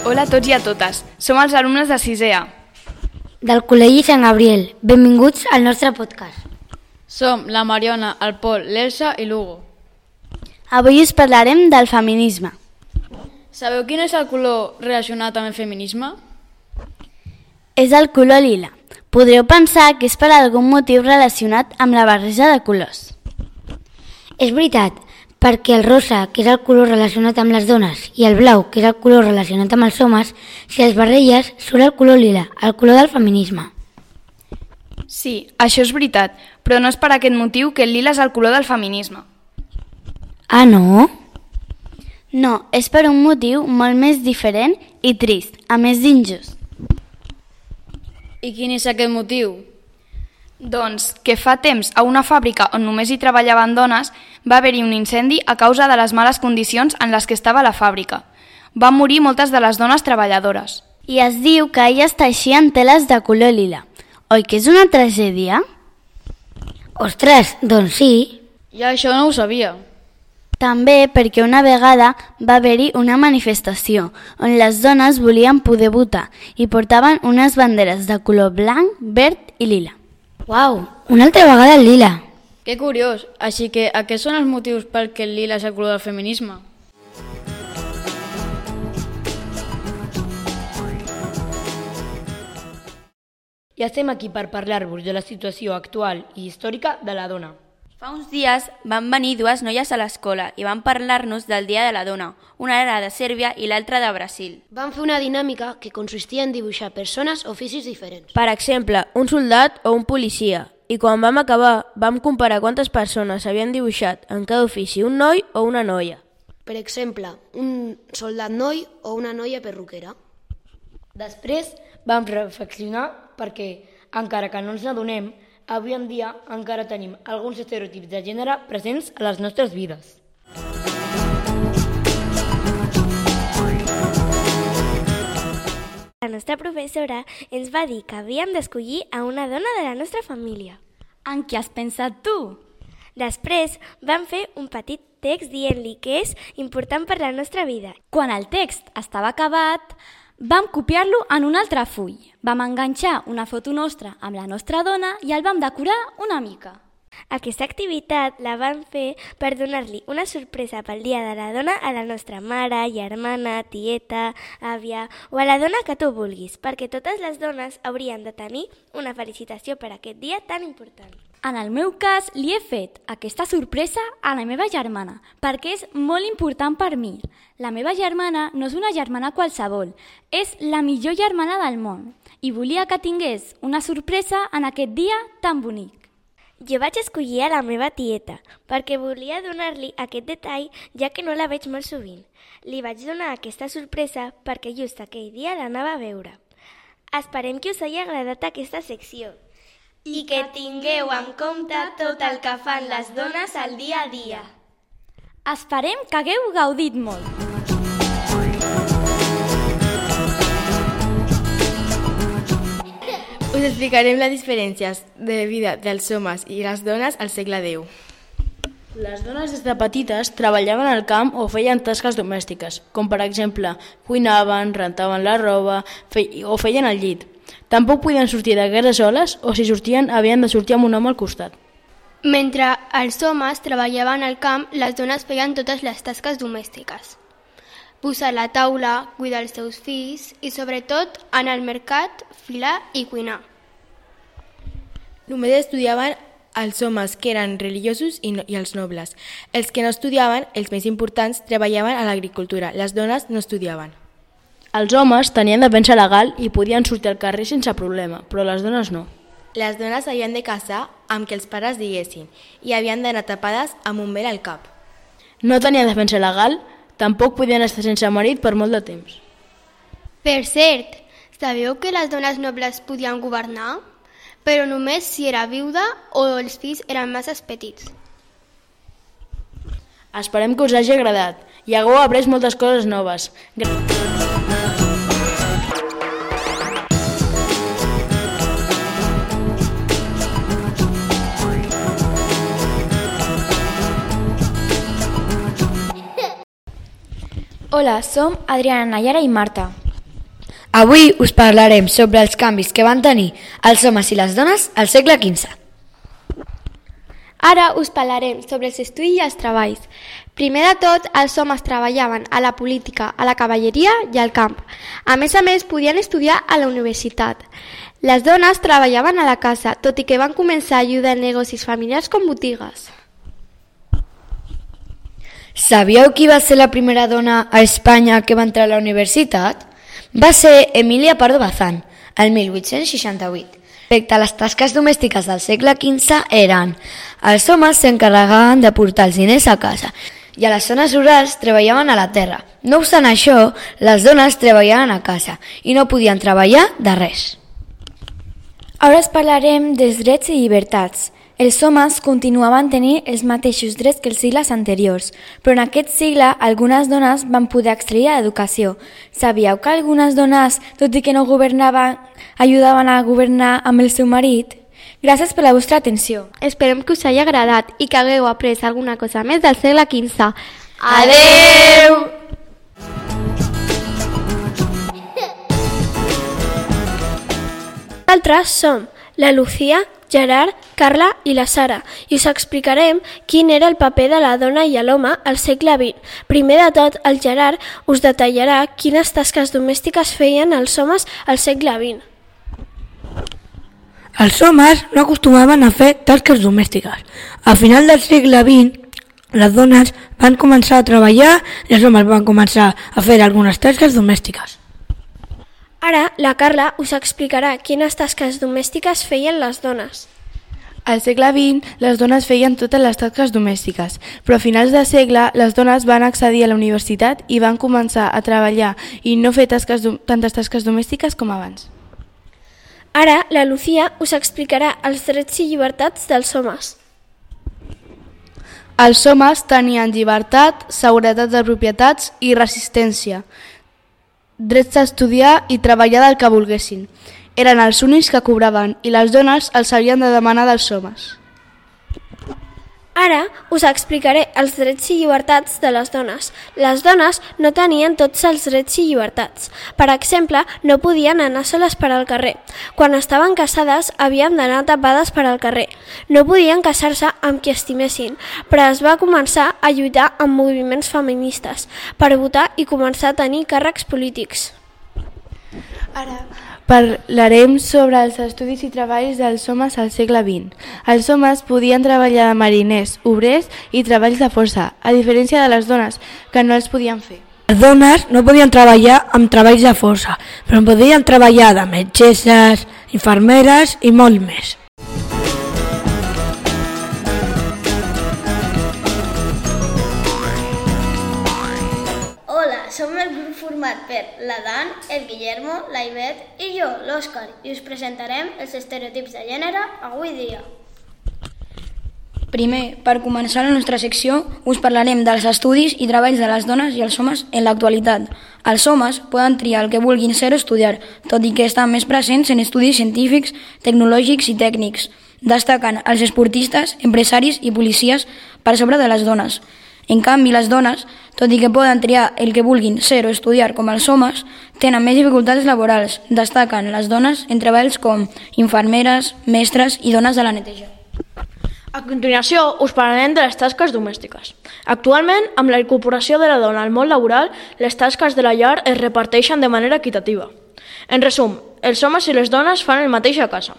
Hola a tots i a totes. Som els alumnes de 6è A. Del Col·legi Sant Gabriel. Benvinguts al nostre podcast. Som la Mariona, el Pol, l'Elsa i l'Hugo. Avui us parlarem del feminisme. Sabeu quin és el color relacionat amb el feminisme? És el color lila. Podreu pensar que és per algun motiu relacionat amb la barreja de colors. És veritat, perquè el rosa, que és el color relacionat amb les dones, i el blau, que és el color relacionat amb els homes, si els barrelles, surt el color lila, el color del feminisme. Sí, això és veritat, però no és per aquest motiu que el lila és el color del feminisme. Ah, no? No, és per un motiu molt més diferent i trist, a més d'injust. I quin és aquest motiu? Doncs que fa temps a una fàbrica on només hi treballaven dones va haver-hi un incendi a causa de les males condicions en les que estava la fàbrica. Van morir moltes de les dones treballadores. I es diu que elles teixien teles de color lila. Oi que és una tragèdia? Ostres, doncs sí. Ja això no ho sabia. També perquè una vegada va haver-hi una manifestació on les dones volien poder votar i portaven unes banderes de color blanc, verd i lila. Uau, una altra vegada el lila. Que curiós. Així que aquests són els motius pel que el lila és el color del feminisme. I estem aquí per parlar-vos de la situació actual i històrica de la dona. Fa uns dies van venir dues noies a l'escola i van parlar-nos del Dia de la Dona. Una era de Sèrbia i l'altra de Brasil. Van fer una dinàmica que consistia en dibuixar persones o oficis diferents. Per exemple, un soldat o un policia. I quan vam acabar, vam comparar quantes persones havien dibuixat en cada ofici, un noi o una noia. Per exemple, un soldat noi o una noia perruquera. Després vam reflexionar perquè, encara que no ens n'adonem, avui en dia encara tenim alguns estereotips de gènere presents a les nostres vides. La nostra professora ens va dir que havíem d'escollir a una dona de la nostra família. En què has pensat tu? Després vam fer un petit text dient-li que és important per la nostra vida. Quan el text estava acabat, vam copiar-lo en un altre full. Vam enganxar una foto nostra amb la nostra dona i el vam decorar una mica. Aquesta activitat la vam fer per donar-li una sorpresa pel Dia de la Dona a la nostra mare, germana, tieta, àvia o a la dona que tu vulguis, perquè totes les dones haurien de tenir una felicitació per aquest dia tan important. En el meu cas, li he fet aquesta sorpresa a la meva germana, perquè és molt important per mi. La meva germana no és una germana qualsevol, és la millor germana del món i volia que tingués una sorpresa en aquest dia tan bonic. Jo vaig escollir a la meva tieta, perquè volia donar-li aquest detall, ja que no la veig molt sovint. Li vaig donar aquesta sorpresa perquè just aquell dia l'anava a veure. Esperem que us hagi agradat aquesta secció. I que tingueu en compte tot el que fan les dones al dia a dia. Esperem que hagueu gaudit molt. Us explicarem les diferències de vida dels homes i les dones al segle X. Les dones des de petites treballaven al camp o feien tasques domèstiques, com per exemple cuinaven, rentaven la roba o feien el llit. Tampoc podien sortir de casa soles o si sortien havien de sortir amb un home al costat. Mentre els homes treballaven al camp, les dones feien totes les tasques domèstiques. Posar la taula, cuidar els seus fills i, sobretot, anar al mercat, filar i cuinar. Només estudiaven els homes que eren religiosos i els nobles. Els que no estudiaven, els més importants, treballaven a l'agricultura. Les dones no estudiaven. Els homes tenien defensa legal i podien sortir al carrer sense problema, però les dones no. Les dones havien de casar amb que els pares diguessin i havien d'anar tapades amb un vel al cap. No tenien defensa legal, tampoc podien estar sense marit per molt de temps. Per cert, sabeu que les dones nobles podien governar? Però només si era viuda o els fills eren massa petits. Esperem que us hagi agradat i hagueu après moltes coses noves. Hola, som Adriana, Nayara i Marta. Avui us parlarem sobre els canvis que van tenir els homes i les dones al segle XV. Ara us parlarem sobre els estudis i els treballs. Primer de tot, els homes treballaven a la política, a la cavalleria i al camp. A més, podien estudiar a la universitat. Les dones treballaven a la casa, tot i que van començar a ajudar en negocis familiars com botigues. Sabíeu qui va ser la primera dona a Espanya que va entrar a la universitat? Va ser Emilia Pardo Bazán, el 1868. Respecte a les tasques domèstiques del segle XV eren: els homes s'encarregaven de portar els diners a casa i a les zones rurals treballaven a la terra. No obstant això, les dones treballaven a casa i no podien treballar de res. Ara us parlarem dels drets i llibertats. Els homes continuaven tenint els mateixos drets que els segles anteriors, però en aquest segle algunes dones van poder accedir a l'educació. Sabíeu que algunes dones, tot i que no governaven, ajudaven a governar amb el seu marit? Gràcies per la vostra atenció. Esperem que us hagi agradat i que hagueu après alguna cosa més del segle XV. Adeu! Nosaltres som la Lucía, Gerard, Carla i la Sara i us explicarem quin era el paper de la dona i l'home al segle XX. Primer de tot, el Gerard us detallarà quines tasques domèstiques feien els homes al segle XX. Els homes no acostumaven a fer tasques domèstiques. A final del segle XX, les dones van començar a treballar i els homes van començar a fer algunes tasques domèstiques. Ara, la Carla us explicarà quines tasques domèstiques feien les dones. Al segle XX, les dones feien totes les tasques domèstiques, però a finals de segle les dones van accedir a la universitat i van començar a treballar i no fer tantes tasques domèstiques com abans. Ara, la Lucía us explicarà els drets i llibertats dels homes. Els homes tenien llibertat, seguretat de propietats i resistència, drets d'estudiar i treballar del que volguessin. Eren els únics que cobraven i les dones els havien de demanar dels homes. Ara us explicaré els drets i llibertats de les dones. Les dones no tenien tots els drets i llibertats. Per exemple, no podien anar soles per al carrer. Quan estaven casades havien d'anar tapades per al carrer. No podien casar-se amb qui estimessin, però es va començar a lluitar amb moviments feministes per votar i començar a tenir càrrecs polítics. Ara parlarem sobre els estudis i treballs dels homes al segle XX. Els homes podien treballar de mariners, obrers i treballs de força, a diferència de les dones, que no els podien fer. Les dones no podien treballar amb treballs de força, però podien treballar de metgesses, infermeres i molt més. Hola, som el grup format per l'Adan, el Guillermo, la Ivet i jo, l'Òscar, i us presentarem els estereotips de gènere avui dia. Primer, per començar la nostra secció, us parlarem dels estudis i treballs de les dones i els homes en l'actualitat. Els homes poden triar el que vulguin ser o estudiar, tot i que estan més presents en estudis científics, tecnològics i tècnics. Destaquen els esportistes, empresaris i policies per sobre de les dones. En canvi, les dones, tot i que poden triar el que vulguin ser o estudiar com els homes, tenen més dificultats laborals. Destaquen les dones en treballs com infermeres, mestres i dones de la neteja. A continuació, us parlarem de les tasques domèstiques. Actualment, amb la incorporació de la dona al món laboral, les tasques de la llar es reparteixen de manera equitativa. En resum, els homes i les dones fan el mateix a casa.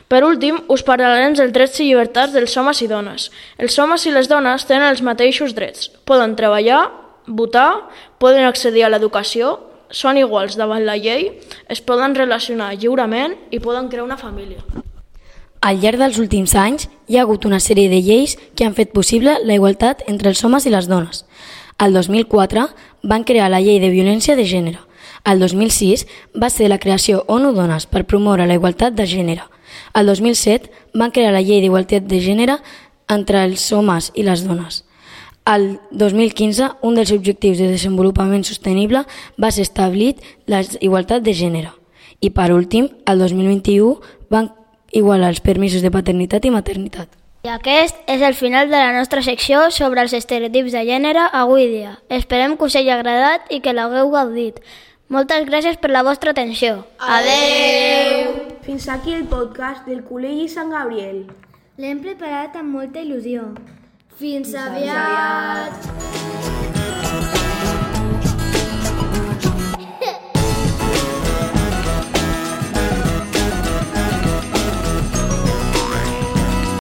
Per últim, us parlarem dels drets i llibertats dels homes i dones. Els homes i les dones tenen els mateixos drets. Poden treballar, votar, poden accedir a l'educació, són iguals davant la llei, es poden relacionar lliurement i poden crear una família. Al llarg dels últims anys hi ha hagut una sèrie de lleis que han fet possible la igualtat entre els homes i les dones. El 2004 van crear la llei de violència de gènere. El 2006 va ser la creació ONU Dones per promoure la igualtat de gènere. El 2007 van crear la llei d'igualtat de gènere entre els homes i les dones. El 2015, un dels objectius de desenvolupament sostenible va ser establit la igualtat de gènere. I per últim, el 2021 van igualar els permisos de paternitat i maternitat. I aquest és el final de la nostra secció sobre els estereotips de gènere avui dia. Esperem que us hagi agradat i que l'hagueu gaudit. Moltes gràcies per la vostra atenció. Adeu! Fins aquí el podcast del Col·legi Sant Gabriel. L'hem preparat amb molta il·lusió. Fins aviat!